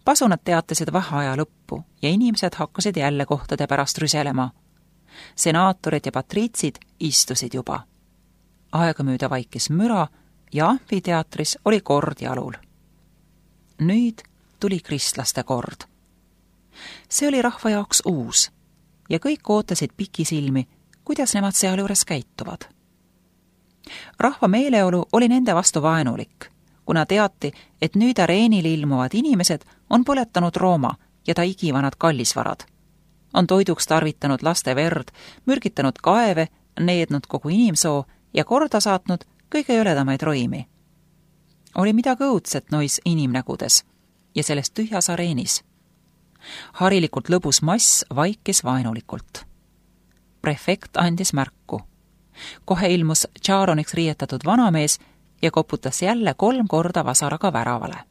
Pasunad teatasid vaheaja lõppu ja inimesed hakkasid jälle kohtade pärast rüselema. Senaatorid ja patriitsid istusid juba. Aegamööda vaikis müra ja amfiteatris oli kord jalul. Nüüd tuli kristlaste kord. See oli rahva jaoks uus ja kõik ootasid pikisilmi, kuidas nemad sealjuures käituvad. Rahva meeleolu oli nende vastu vaenulik, kuna teati, et nüüd areenil ilmuvad inimesed on põletanud Rooma ja ta igivanad kallisvarad. On toiduks tarvitanud laste verd, mürgitanud kaeve, neednud kogu inimsoo ja korda saatnud kõige jõledamaid roimi. Oli midagi õudset nois inimnägudes ja selles tühjas areenis. Harilikult lõbus mass vaikis vaenulikult. Prefekt andis märku. Kohe ilmus tšaaroniks riietatud vanamees ja koputas jälle 3 korda vasaraga väravale.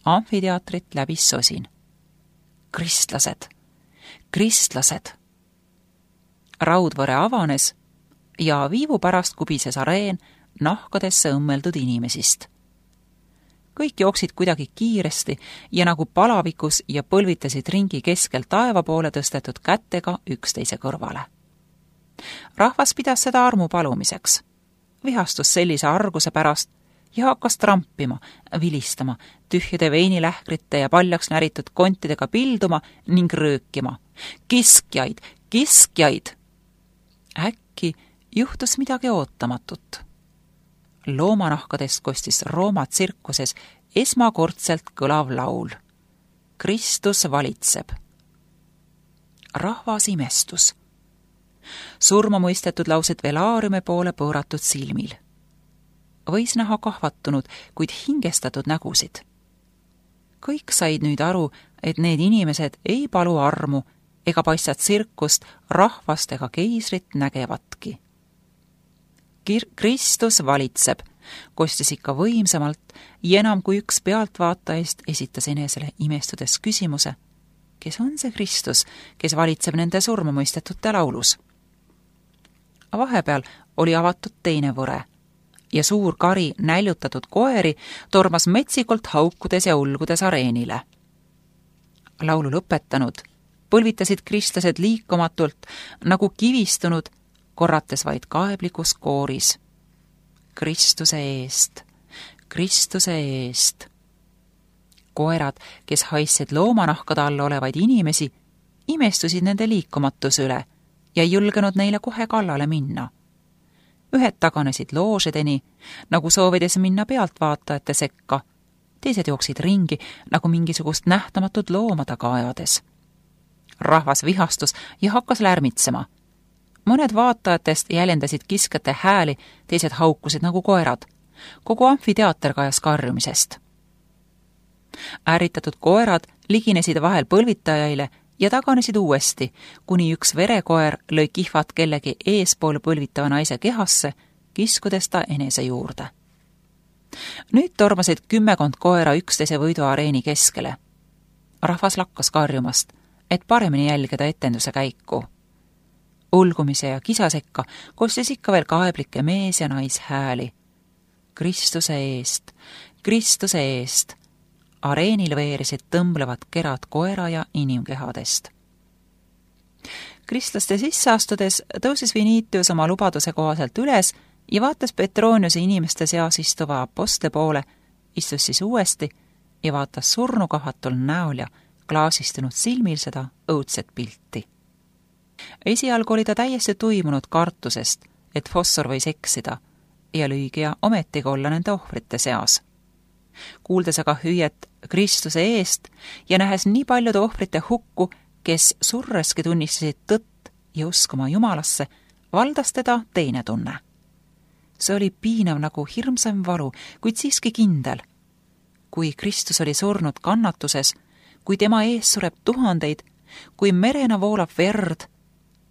Amfiteatrit läbis sosin. Kristlased! Kristlased! Raudvõre avanes ja viivu pärast kubises areen nahkadesse õmmeldud inimesist. Kõik jooksid kuidagi kiiresti ja nagu palavikus ja põlvitasid ringi keskel taeva poole tõstetud kättega üksteise kõrvale. Rahvas pidas seda armu palumiseks. Vihastus sellise arguse pärast ja hakkas trampima, vilistama, tühjade veinilähkrite ja paljaks näritud kontidega pilduma ning röökima. Kiskjaid! Kiskjaid! Äkki juhtus midagi ootamatut. Loomanahkadest kostis Rooma tsirkuses esmakordselt kõlav laul. Kristus valitseb. Rahvas imestus. Surma mõistetud lausid velaariumi poole pööratud silmil. Võis näha kahvatunud, kuid hingestatud nägusid. Kõik said nüüd aru, et need inimesed ei palu armu ega paista tsirkust rahvast ega keisrit nägevatki. Kristus valitseb, kostis ikka võimsamalt ja enam kui üks pealtvaatajaist esitas enesele imestudes küsimuse, kes on see Kristus, kes valitseb nende surma mõistetute laulus. Vahepeal oli avatud teine võre ja suur kari näljutatud koeri tormas metsikult haukudes ja ulgudes areenile. Laulu lõpetanud põlvitasid kristlased liikumatult nagu kivistunud, korrates vaid kaeblikus kooris. Kristuse eest, Kristuse eest. Koerad, kes haissid loomanahkade all olevaid inimesi, imestusid nende liikumatuse üle ja ei julgenud neile kohe kallale minna. Ühed taganesid loožedeni, nagu soovides minna pealtvaatajate sekka, teised jooksid ringi, nagu mingisugust nähtamatut looma taga ajades. Rahvas vihastus ja hakkas lärmitsema. Mõned vaatajatest jäljendasid kiskjate hääli, teised haukusid nagu koerad. Kogu amfiteater kajas karjumisest. Ärritatud koerad liginesid vahel põlvitajaile ja taganesid uuesti, kuni üks verekoer lõi kihvat kellegi eespool põlvitava naise kehasse, kiskudes ta enese juurde. Nüüd tormasid 10 koera üksteise võiduareeni keskele. Rahvas lakkas karjumast, et paremini jälgida etenduse käiku. Ulgumise ja kisasekka kostis ikka veel kaeblike mees- ja naishääli. Kristuse eest, Kristuse eest. Areenil veerisid tõmblevad kerad koera ja inimkehadest. Kristlaste sisse astudes tõusis Vinitius oma lubaduse kohaselt üles ja vaatas Petroniuse inimeste seas istuva apostle poole, istus siis uuesti ja vaatas surnukahatul näol ja klaasistunud silmil seda õudset pilti. Esialgu oli ta täiesti tuimunud kartusest, et Fossor võis eksida ja lüügija ometigi olla nende ohvrite seas. Kuuldes aga hüüet Kristuse eest ja nähes nii paljude ohvrite hukku, kes surreski tunnistasid tõtt ja uskuma Jumalasse, valdas teda teine tunne. See oli piinav nagu hirmsam valu, kuid siiski kindel. Kui Kristus oli surnud kannatuses, kui tema ees sureb tuhandeid, kui merena voolab verd,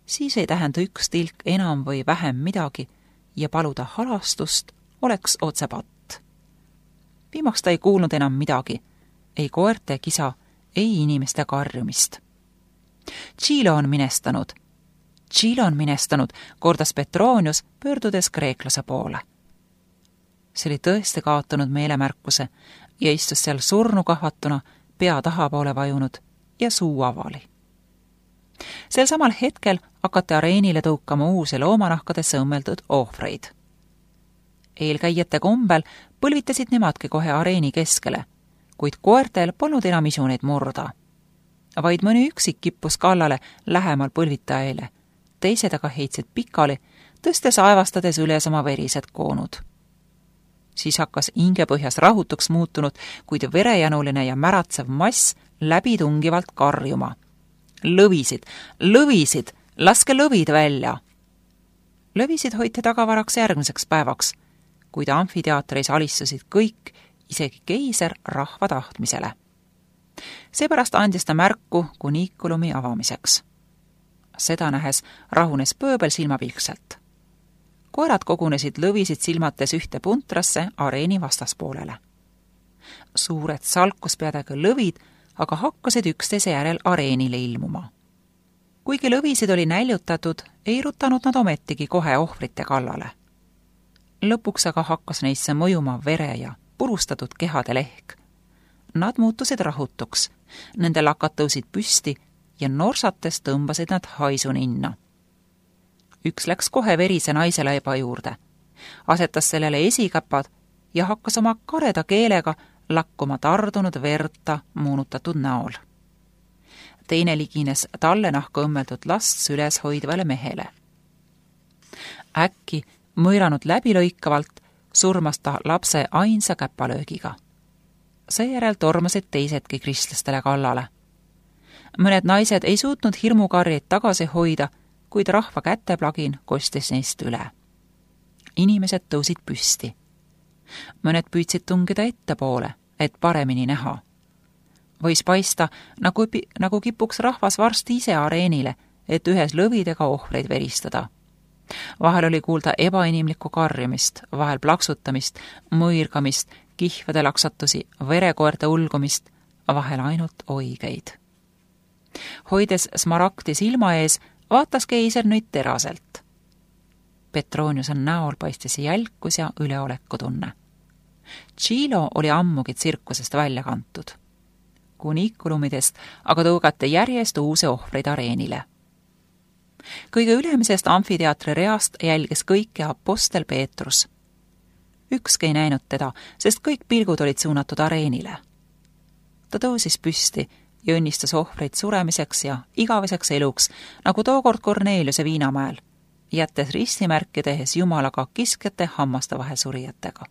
siis ei tähenda üks tilk enam või vähem midagi ja paluda halastust oleks otsepatt. Viimaks ta ei kuulnud enam midagi, ei koerte kisa, ei inimeste karjumist. Tšiilo on minestanud, kordas Petronius, pöördudes kreeklase poole. See oli tõesti kaotanud meelemärkuse ja istus seal surnukahvatuna, pea tahapoole vajunud ja suu avali. Sel samal hetkel hakati areenile tõukama uusi loomanahkadesse õmmeldud ohvreid. Eelkäijate kombel põlvitasid nemadki kohe areeni keskele, kuid koertel polnud enam isu neid murda. Vaid mõni üksik kippus kallale lähemal põlvitajaile, teised aga heitsid pikali, tõstes aevastades üles oma verised koonud. Siis hakkas hingepõhjas rahutuks muutunud, kuid verejanuline ja märatsev mass läbitungivalt karjuma. Lõvisid, lõvisid, laske lõvid välja! Lõvisid hoiti tagavaraks järgmiseks päevaks, kuid amfiteatris alistusid kõik, isegi keiser rahva tahtmisele. Seepärast andis ta märku kuniikulumi avamiseks. Seda nähes rahunes pööbel silmapilkselt. Koerad kogunesid lõvisid silmates ühte puntrasse areeni vastaspoolele. Suured salkuspeadega lõvid aga hakkasid üksteise järel areenile ilmuma. Kuigi lõvisid oli näljutatud, ei rutanud nad ometigi kohe ohvrite kallale. Lõpuks aga hakkas neisse mõjuma vere ja purustatud kehade lehk. Nad muutusid rahutuks, nende lakad tõusid püsti ja norsates tõmbasid nad haisu ninna. Üks läks kohe verise naise laiba juurde, asetas sellele esikäpad ja hakkas oma kareda keelega lakkuma tardunud verta moonutatud näol. Teine ligines talle nahka õmmeldud last süles hoidvale mehele. Äkki mõiranud läbilõikavalt surmas ta lapse ainsa käpalöögiga. Seejärel tormasid teisedki kristlastele kallale. Mõned naised ei suutnud hirmukarjeid tagasi hoida, kuid rahva käteplagin kostis neist üle. Inimesed tõusid püsti. Mõned püüdsid tungida ettepoole, et paremini näha. Võis paista, nagu kipuks rahvas varsti ise areenile, et ühes lõvidega ohvreid veristada. Vahel oli kuulda ebainimlikku karjumist, vahel plaksutamist, mõirgamist, kihvede laksatusi, verekoerte ulgumist, vahel ainult oigeid. Hoides smaragdi silma ees, vaatas keiser nüüd teraselt. Petroniuse näol paistis jälkus ja üleolekutunne. Tšilo oli ammugi tsirkusest välja kantud. Kuniikulumidest aga tõugati järjest uusi ohvreid areenile. Kõige ülemisest amfiteatri reast jälgis kõike apostel Peetrus. Ükski ei näinud teda, sest kõik pilgud olid suunatud areenile. Ta tõusis püsti ja õnnistas ohvreid suremiseks ja igaveseks eluks, nagu tookord Korneliuse Viinamäel, jättes ristimärki tehes Jumalaga kiskjate hammaste vahel surijatega.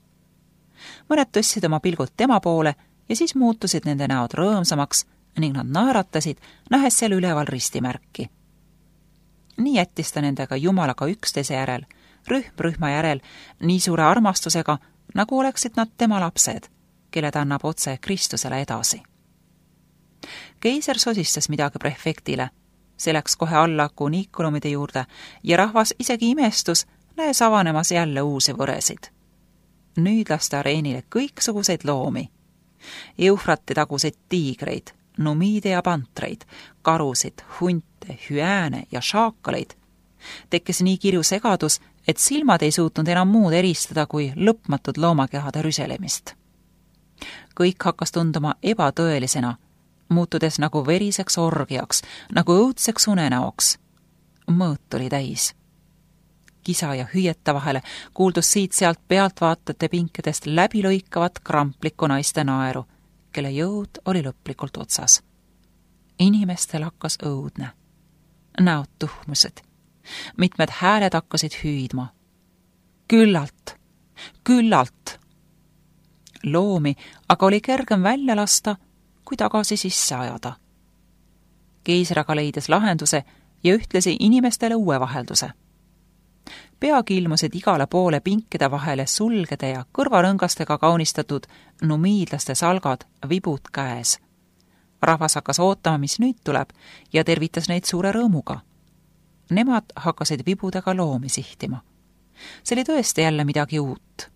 Mõned tõstsid oma pilgud tema poole ja siis muutusid nende näod rõõmsamaks ning nad naeratasid, nähes seal üleval ristimärki. Nii jättis ta nendega Jumalaga üksteise järel, rühm rühma järel, nii suure armastusega, nagu oleksid nad tema lapsed, kelle ta annab otse Kristusele edasi. Keiser sosistas midagi prefektile, see läks kohe alla kuniikulumide juurde ja rahvas isegi imestus, näes avanemas jälle uusi võresid. Nüüd lasti areenile kõiksuguseid loomi. Eufrati taguseid tiigreid, numiide ja pantreid, karusid, hunte, hüääne ja šaakaleid. Tekkis nii kirju segadus, et silmad ei suutnud enam muud eristada kui lõpmatud loomakehade rüselemist. Kõik hakkas tunduma ebatõelisena, muutudes nagu veriseks orgiaks, nagu õudseks unenäoks. Mõõt oli täis. Kisa ja hüüeta vahele kuuldus siit-sealt pealtvaatajate pinkedest läbilõikavat kramplikku naiste naeru, kelle jõud oli lõplikult otsas. Inimestel hakkas õudne. Näod tuhmused. Mitmed hääled hakkasid hüüdma. Küllalt! Küllalt! Loomi aga oli kergem välja lasta, kui tagasi sisse ajada. Keiser aga leidis lahenduse ja ühtlasi inimestele uue vahelduse. Peagi ilmusid igale poole pinkide vahele sulgede ja kõrvarõngastega kaunistatud numiidlaste salgad vibud käes. Rahvas hakkas ootama, mis nüüd tuleb, ja tervitas neid suure rõõmuga. Nemad hakkasid vibudega loomi sihtima. See oli tõesti jälle midagi uut.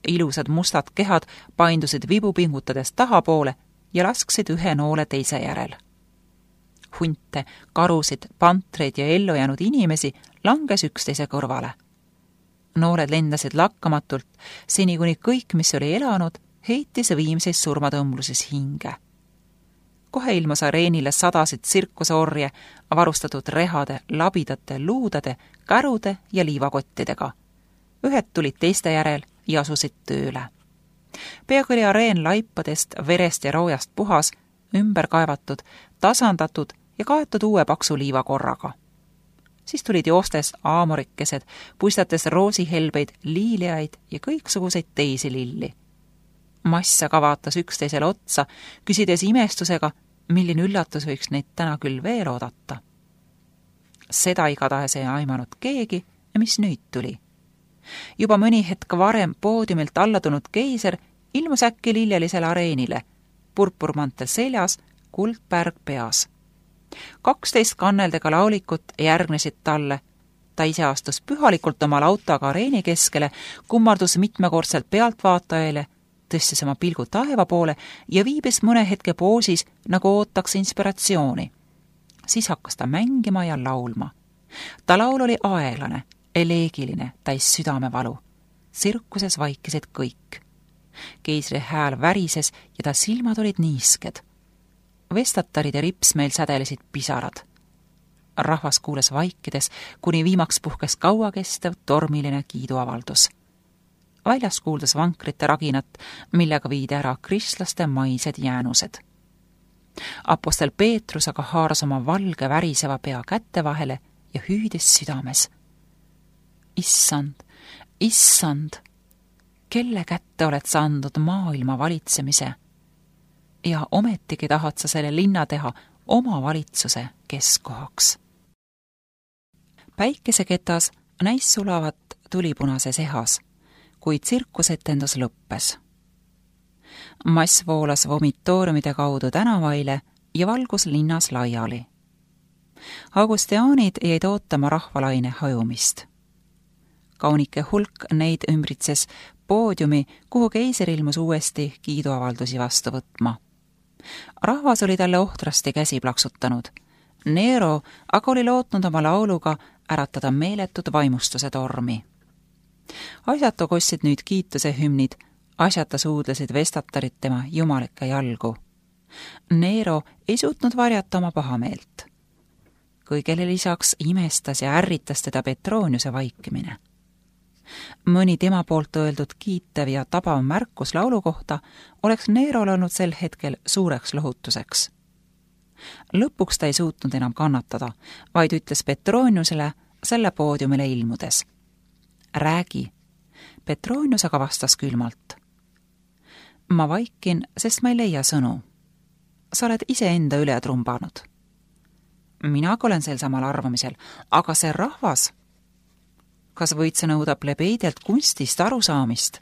Ilusad mustad kehad paindusid vibu pingutades tahapoole ja lasksid ühe noole teise järel. Hunte, karusid, pantreid ja ellu jäänud inimesi langes üksteise kõrvale. Nooled lendasid lakkamatult, seni kuni kõik, mis oli elanud, heitis viimses surmatõmbluses hinge. kohe ilmus areenile sadasid tsirkuseorje, varustatud rehade, labidate, luudade, kärude ja liivakottidega. Ühed tulid teiste järel ja asusid tööle. Peaaegu oli areen laipadest, verest ja roojast puhas, ümber kaevatud, tasandatud ja kaetud uue paksu liivakorraga. Siis tulid joostes aamorikesed, puistates roosihelbeid, liiliaid ja kõiksuguseid teisi lilli. Mass aga vaatas üksteisele otsa, küsides imestusega, milline üllatus võiks neid täna küll veel oodata. Seda igatahes ei aimanud keegi ja mis nüüd tuli. Juba mõni hetk varem poodiumilt alla tulnud keiser ilmus äkki lillelisele areenile, purpurmantel seljas, kuldpärg peas. 12 kanneldega laulikut järgnesid talle. Ta ise astus pühalikult oma lautaga areeni keskele, kummardus mitmekordselt pealtvaatajaile, tõstis oma pilgu taeva poole ja viibis mõne hetke poosis, nagu ootaks inspiratsiooni. Siis hakkas ta mängima ja laulma. Ta laul oli aeglane, eleegiline, täis südamevalu. Tsirkuses vaikisid kõik. Keisri hääl värises ja ta silmad olid niisked. Vestatarid ja ripsmeil sädelesid pisarad. Rahvas kuules vaikides, kuni viimaks puhkes kauakestev tormiline kiiduavaldus. Väljas kuuldas vankrite raginat, millega viidi ära kristlaste maised jäänused. Apostel Peetrus aga haaras oma valge väriseva pea kätte vahele ja hüüdis südames. Issand, issand, kelle kätte oled sa andnud maailma valitsemise? Ja ometigi tahad sa selle linna teha oma valitsuse keskkohaks. Päikeseketas näis sulavat tulipunases ehas, kui tsirkusetendus lõppes. Mass voolas vomitooriumide kaudu tänavaile ja valgus linnas laiali. Augustiaanid jäid ootama rahvalaine hajumist. Kaunike hulk neid ümbritses poodiumi, kuhu keiser ilmus uuesti kiiduavaldusi vastu võtma. Rahvas oli talle ohtrasti käsi plaksutanud. Nero aga oli lootnud oma lauluga äratada meeletud vaimustuse tormi. Asjata kostsid nüüd kiituse hümnid, asjata suudlesid vestatarid tema jumalike jalgu. Nero ei suutnud varjata oma pahameelt. Kõigele lisaks imestas ja ärritas teda Petroniuse vaikimine. Mõni tema poolt öeldud kiitev ja tabav märkus laulu kohta oleks Nerol olnud sel hetkel suureks lohutuseks. Lõpuks ta ei suutnud enam kannatada, vaid ütles Petroniusele selle poodiumile ilmudes. Räägi. Petronius aga vastas külmalt. Ma vaikin, sest ma ei leia sõnu. Sa oled iseenda üle trumbanud. Mina olen sel samal arvamisel, aga see rahvas... Kas võid sa nõuda plebeidelt kunstist arusaamist?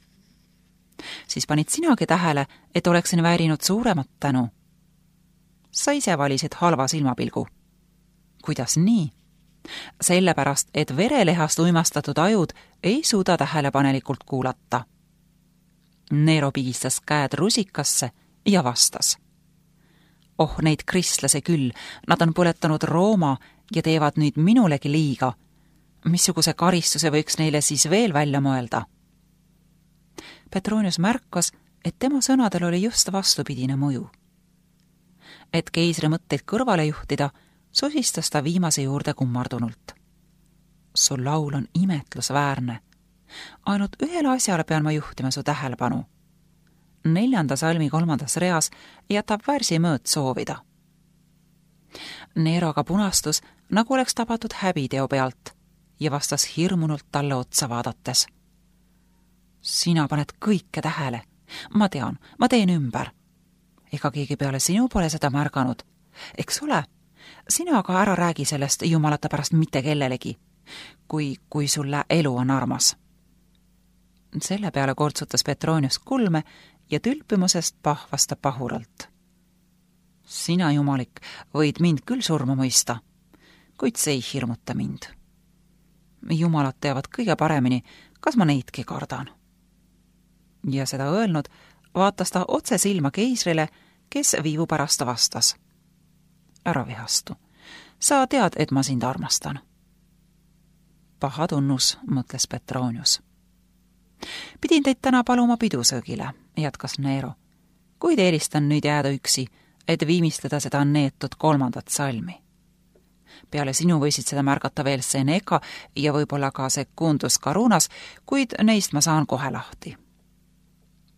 Siis panid sinagi tähele, et oleksin väärinud suuremat tänu. Sa ise valisid halva silmapilgu. Kuidas nii? Sellepärast, et verelehast uimastatud ajud ei suuda tähelepanelikult kuulata. Nero pigistas käed rusikasse ja vastas. Oh, neid kristlase küll, nad on põletanud Rooma ja teevad nüüd minulegi liiga. Missuguse karistuse võiks neile siis veel välja mõelda? Petronius märkas, et tema sõnadel oli just vastupidine mõju. Et keisri mõtteid kõrvale juhtida, sosistas ta viimase juurde kummardunult. Su laul on imetlusväärne. Ainult ühele asjale pean ma juhtima su tähelepanu. 4. salmi 3. reas jätab värsi mõõt soovida. Nero aga punastus, nagu oleks tabatud häbiteo pealt ja vastas hirmunult talle otsa vaadates. Sina paned kõike tähele. Ma tean, ma teen ümber. Ega keegi peale sinu pole seda märganud. Eks ole? Sina aga ära räägi sellest jumalata pärast mitte kellelegi, kui sulle elu on armas. Selle peale kortsutas Petronius kulme ja tülpimusest pahvas ta pahuralt. Sina, jumalik, võid mind küll surma mõista, kuid see ei hirmuta mind. Jumalad teavad kõige paremini, kas ma neidki kardan. Ja seda öelnud, vaatas ta otse silma keisrile, kes viivu pärast vastas. Ära vihastu. Sa tead, et ma sind armastan. Paha tunnus, mõtles Petronius. Pidin teid täna paluma pidusöögile, jätkas Nero. Kuid eelistan nüüd jääda üksi, et viimistleda seda neetud 3. salmi. Peale sinu võisid seda märgata veel Seneca ja võib-olla ka Secundus Carunas, kuid neist ma saan kohe lahti.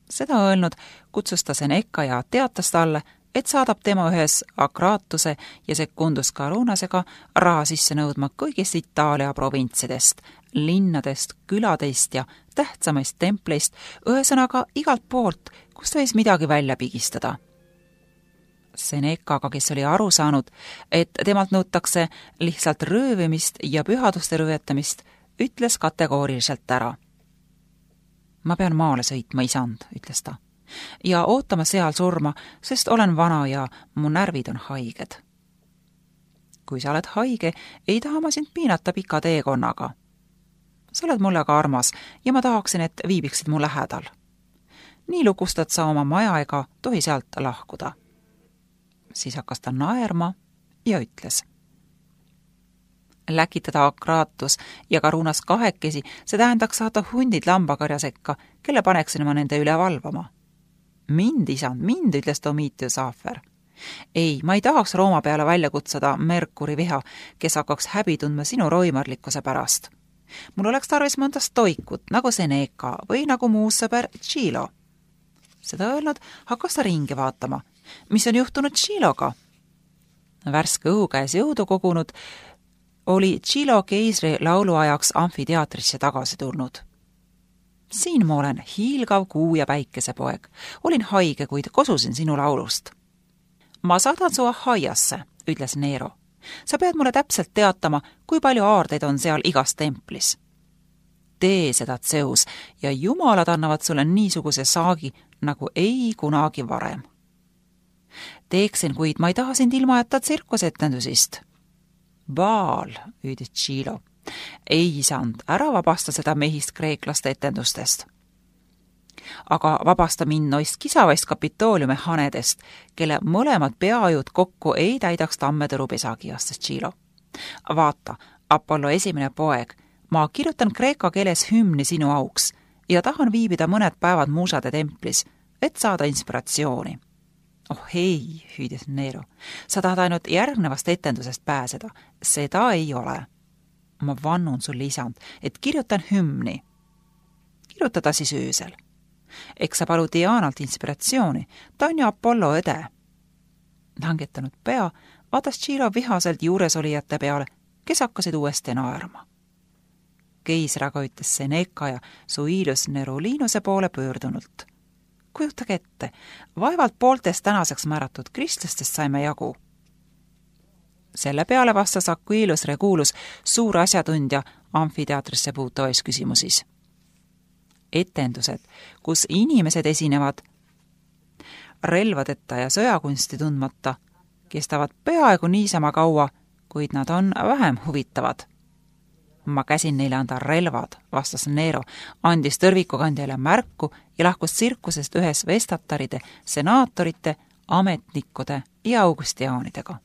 Seda öelnud kutsus ta Seneca ja teatas talle, et saadab tema ühes Akratuse ja Secundus Carunasega raha sisse nõudma kõigist Itaalia provintsidest, linnadest, küladest ja tähtsamaist templeist, ühesõnaga igalt poolt, kust võis midagi välja pigistada. Senecaga, kes oli aru saanud, et temalt nõutakse lihtsalt röövimist ja pühaduste rüvetamist, ütles kategooriliselt ära. Ma pean maale sõitma, isand, ütles ta, ja ootama seal surma, sest olen vana ja mu närvid on haiged. Kui sa oled haige, ei taha ma sind piinata pika teekonnaga. Sa oled mulle ka armas ja ma tahaksin, et viibiksid mu lähedal. Nii lukustad sa oma maja ega tohi sealt lahkuda. Siis hakkas ta naerma ja ütles. Läkitada Akratus ja Carunas kahekesi, see tähendaks saada hundid lambakarja sekka, kelle paneksin ma nende üle valvama. Mind, isand, mind, ütles Domitius Afer. Ei, ma ei tahaks Rooma peale välja kutsuda Merkuri viha, kes hakkaks häbi tundma sinu roimarlikkuse pärast. Mul oleks tarvis mõnda stoikut, nagu Seneca või nagu muu sõber Chilo. Seda öelnud hakkas ta ringi vaatama. Mis on juhtunud Chiloga? Värske õhu käes jõudu kogunud, oli Chilo keisri lauluajaks amfiteatrisse tagasi tulnud. Siin ma olen, hiilgav kuu ja päikesepoeg. Olin haige, kuid kosusin sinu laulust. Ma saadan su Ahaiasse, ütles Nero. Sa pead mulle täpselt teatama, kui palju aardeid on seal igas templis. Tee seda, Zeus, ja jumalad annavad sulle niisuguse saagi, nagu ei kunagi varem. Teeksin, kuid ma ei taha sind ilma jätta tsirkusetendusist. Baal, hüüdis Chilo. Ei, isand, ära vabasta seda mehist kreeklaste etendustest. Aga vabasta mind noist kisavaist Kapitooliumi hanedest, kelle mõlemad peajud kokku ei täidaks tammetõrupesagi, astas Chilo. Vaata, Apollo esimene poeg, ma kirjutan kreeka keeles hümni sinu auks ja tahan viibida mõned päevad Musade templis, et saada inspiratsiooni. Oh ei, hüüdis Nero, sa tahad ainult järgnevast etendusest pääseda. Seda ei ole. Ma vannun sulle, isand, et kirjutan hümni. Kirjutada siis öösel. Eks sa palu Dianalt inspiratsiooni, ta on ju Apollo õde. Langetanud pea, vaatas Chilo vihaselt juuresolijate peale, kes hakkasid uuesti naerma. Keisr aga ütles Seneca ja Suilius Nerulinuse poole pöördunult. Kujutage ette, vaevalt pooltest tänaseks määratud kristlastest saime jagu. Selle peale vastas Aquilus Regulus, suur asjatundja amfiteatrisse puutuvais küsimusis. Etendused, kus inimesed esinevad relvadeta ja sõjakunsti tundmata, kestavad peaaegu niisama kaua, kuid nad on vähem huvitavad. Ma käsin neile anda relvad, vastas Nero, andis tõrvikukandjale märku ja lahkus tsirkusest ühes vestataride, senaatorite, ametnikkude ja augustiaanidega.